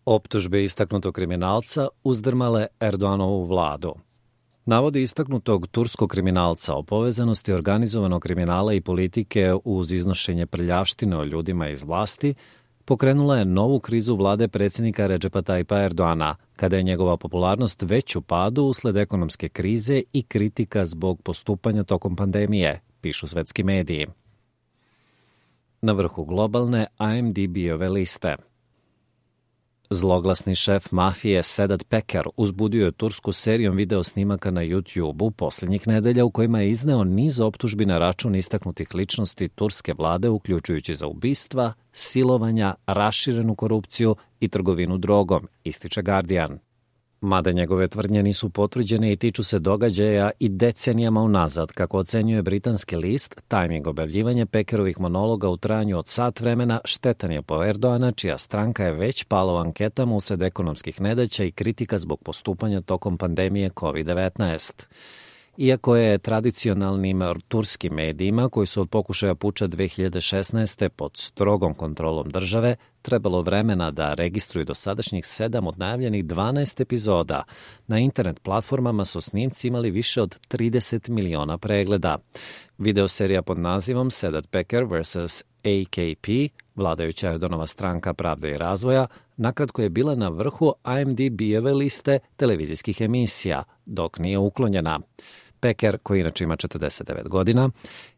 Optužbe istaknutog kriminalca uzdrmale Erdoganovu vladu. Navodi istaknutog turskog kriminalca o povezanosti organizovanog kriminala i politike uz iznošenje prljavštine o ljudima iz vlasti pokrenula je novu krizu vlade predsjednika Redžepa Tayyipa Erdogana, kada je njegova popularnost već u padu usled ekonomske krize i kritika zbog postupanja tokom pandemije, pišu svetski mediji. Na vrhu globalne IMDb-ove liste. Zloglasni šef mafije Sedat Peker uzbudio je Tursku serijom video snimaka na YouTube-u posljednjih nedelja u kojima je izneo niz optužbi na račun istaknutih ličnosti turske vlade, uključujući za ubistva, silovanja, raširenu korupciju i trgovinu drogom, ističe Guardian. Mada njegove tvrdnje nisu potvrđene i tiču se događaja i decenijama unazad, kako ocenjuje britanski list, tajming objavljivanja Pekerovih monologa u trajanju od sat vremena štetan je po Erdogana, čija stranka je već pala u anketama usred ekonomskih nedaća i kritika zbog postupanja tokom pandemije COVID-19. Iako je tradicionalnim turskim medijima, koji su od pokušaja puča 2016. pod strogom kontrolom države, trebalo vremena da registruju dosadašnjih 7 od najavljenih 12 epizoda, na internet platformama su snimci imali više od 30 miliona pregleda. Videoserija pod nazivom Sedat Peker vs. AKP, vladajuća Erdoganova stranka Pravde i razvoja, nakratko je bila na vrhu IMDb-ove liste televizijskih emisija, dok nije uklonjena. Peker, koji inače ima 49 godina,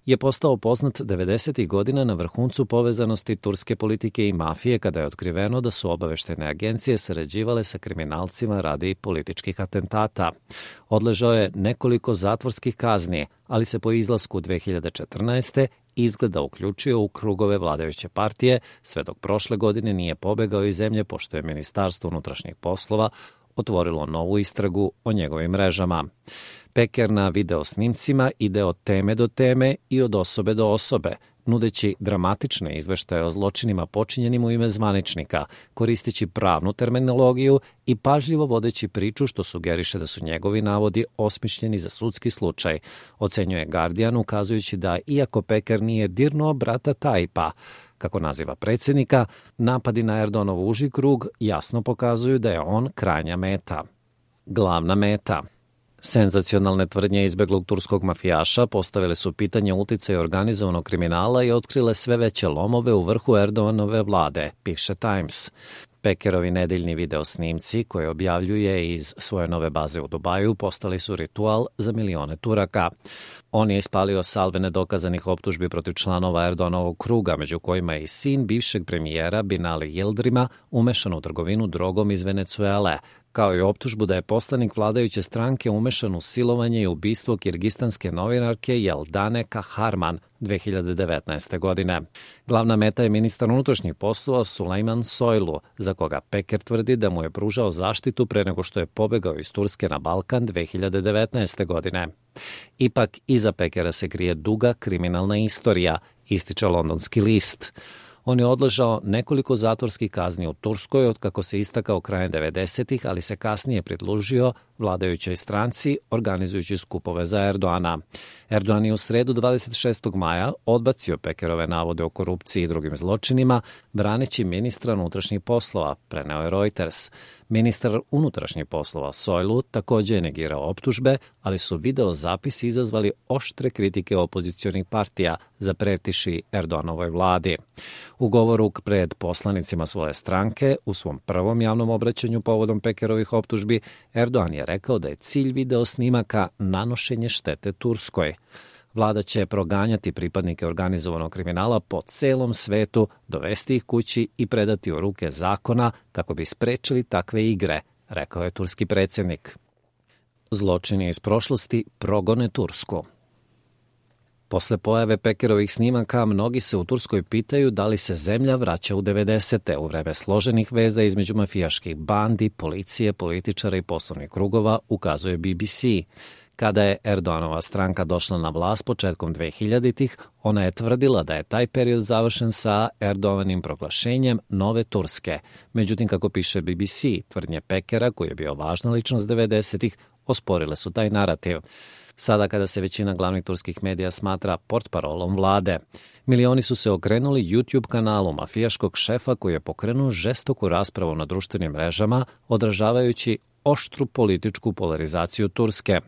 je postao poznat 90. godina na vrhuncu povezanosti turske politike i mafije, kada je otkriveno da su obaveštene agencije sarađivale sa kriminalcima radi političkih atentata. Odležao je nekoliko zatvorskih kazni, ali se po izlasku 2014. izgleda uključio u krugove vladajuće partije, sve dok prošle godine nije pobegao iz zemlje, pošto je Ministarstvo unutrašnjih poslova otvorilo novu istragu o njegovim mrežama. Peker na video snimcima ide od teme do teme i od osobe do osobe, nudeći dramatične izveštaje o zločinima počinjenim u ime zvaničnika, koristeći pravnu terminologiju i pažljivo vodeći priču, što sugeriše da su njegovi navodi osmišljeni za sudski slučaj, ocenjuje Guardian, ukazujući da, iako Peker nije dirnuo brata Tayyipa, kako naziva predsjednika, napadi na Erdoganov uži krug jasno pokazuju da je on krajnja meta. Glavna meta. Senzacionalne tvrdnje izbeglog turskog mafijaša postavile su pitanje uticaja organizovanog kriminala i otkrile sve veće lomove u vrhu Erdoganove vlade, piše Times. Pekerovi nedeljni video snimci, koje objavljuje iz svoje nove baze u Dubaju, postali su ritual za milione Turaka. On je ispalio salve nedokazanih optužbi protiv članova Erdoganovog kruga, među kojima je i sin bivšeg premijera Binali Yıldırım'a umešan u trgovinu drogom iz Venecuele, kao i optužbu da je poslanik vladajuće stranke umešan u silovanje i ubistvo kirgistanske novinarke Jeldane Kahraman 2019. godine. Glavna meta je ministar unutrašnjih poslova Sulejman Soylu, za koga Peker tvrdi da mu je pružao zaštitu pre nego što je pobegao iz Turske na Balkan 2019. godine. Ipak, iza Pekera se krije duga kriminalna istorija, ističe londonski list. On je odležao nekoliko zatvorskih kazni u Turskoj otkako se istakao krajem 90-ih, ali se kasnije pridružio vladajućoj stranci, organizujući skupove za Erdogana. Erdogan je u sredu 26. maja odbacio Pekerove navode o korupciji i drugim zločinima, braneći ministra unutrašnjih poslova, preneo je Reuters. Ministar unutrašnjih poslova Soylu također je negirao optužbe, ali su video zapisi izazvali oštre kritike opozicionih partija, zapretiši Erdoganovoj vladi. U govoru pred poslanicima svoje stranke, u svom prvom javnom obraćanju povodom Pekerovih optužbi, Erdogan je rekao da je cilj video snimaka nanošenje štete Turskoj. Vlada će proganjati pripadnike organizovanog kriminala po celom svetu, dovesti ih kući i predati u ruke zakona kako bi sprečili takve igre, rekao je turski predsjednik. Zločini iz prošlosti progone Tursku. Posle pojave Pekerovih snimaka, mnogi se u Turskoj pitaju da li se zemlja vraća u 90. u vreme složenih veza između mafijaških bandi, policije, političara i poslovnih krugova, ukazuje BBC. Kada je Erdoganova stranka došla na vlast početkom 2000-ih, ona je tvrdila da je taj period završen sa Erdogановim proglašenjem nove Turske. Međutim, kako piše BBC, tvrdnje Pekera, koji je bio važna ličnost 90-ih, osporile su taj narativ. Sada kada se većina glavnih turskih medija smatra portparolom vlade, milioni su se okrenuli YouTube kanalu mafijaškog šefa koji je pokrenuo žestoku raspravu na društvenim mrežama, odražavajući oštru političku polarizaciju Turske.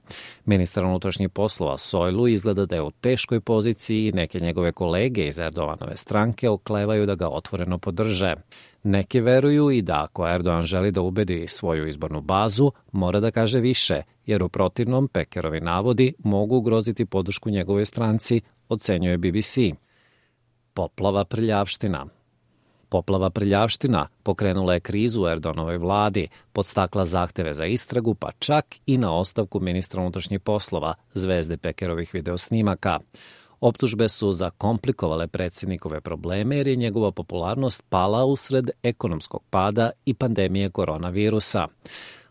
Ministar unutrašnjih poslova Soylu izgleda da je u teškoj poziciji i neke njegove kolege iz Erdoganove stranke oklevaju da ga otvoreno podrže. Neki veruju i da ako Erdogan želi da ubedi svoju izbornu bazu, mora da kaže više, jer u protivnom Pekerovi navodi mogu ugroziti podršku njegovoj stranci, ocenjuje BBC. Poplava prljavština. Poplava prljavština pokrenula je krizu u Erdoganovoj vladi, podstakla zahteve za istragu, pa čak i na ostavku ministra unutrašnjih poslova, zvezde Pekerovih videosnimaka. Optužbe su zakomplikovale predsjednikove probleme jer je njegova popularnost pala usred ekonomskog pada i pandemije koronavirusa.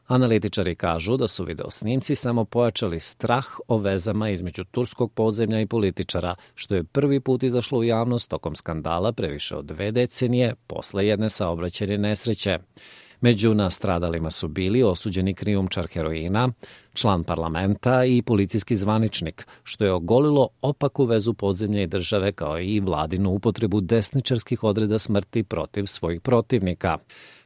Analitičari kažu da su videosnimci samo pojačali strah o vezama između turskog podzemlja i političara, što je prvi put izašlo u javnost tokom skandala pre više od 2 decenije posle jedne saobraćajne nesreće. Među nastradalima su bili osuđeni krijumčar heroina, član parlamenta i policijski zvaničnik, što je ogolilo opaku vezu podzemlja i države kao i vladinu upotrebu desničarskih odreda smrti protiv svojih protivnika.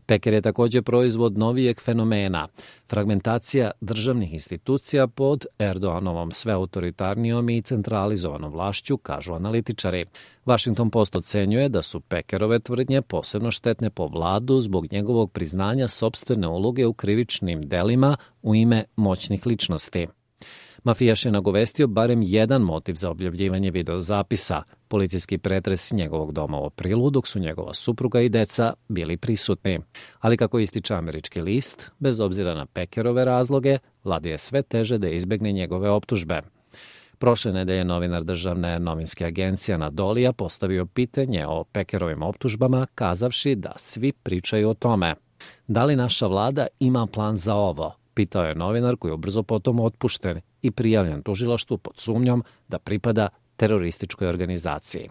Peker je također proizvod novijeg fenomena, fragmentacija državnih institucija pod Erdoganovom sve autoritarnijom i centralizovanom vlašću, kažu analitičari. Washington Post ocenjuje da su Pekerove tvrdnje posebno štetne po vladu zbog njegovog priznanja sopstvene uloge u krivičnim delima u ime moćnih ličnosti. Mafijaš je nagovestio barem jedan motiv za objavljivanje videozapisa, policijski pretres njegovog doma u aprilu, dok su njegova supruga i deca bili prisutni. Ali kako ističe američki list, bez obzira na Pekerove razloge, vladi je sve teže da izbegne njegove optužbe. Prošle nedelje novinar državne novinske agencije Anadolija postavio pitanje o Pekerovim optužbama, kazavši da svi pričaju o tome. Da li naša vlada ima plan za ovo? Pitao je novinar koji je brzo potom otpušten i prijavljen tužilaštvu pod sumnjom da pripada terorističkoj organizaciji.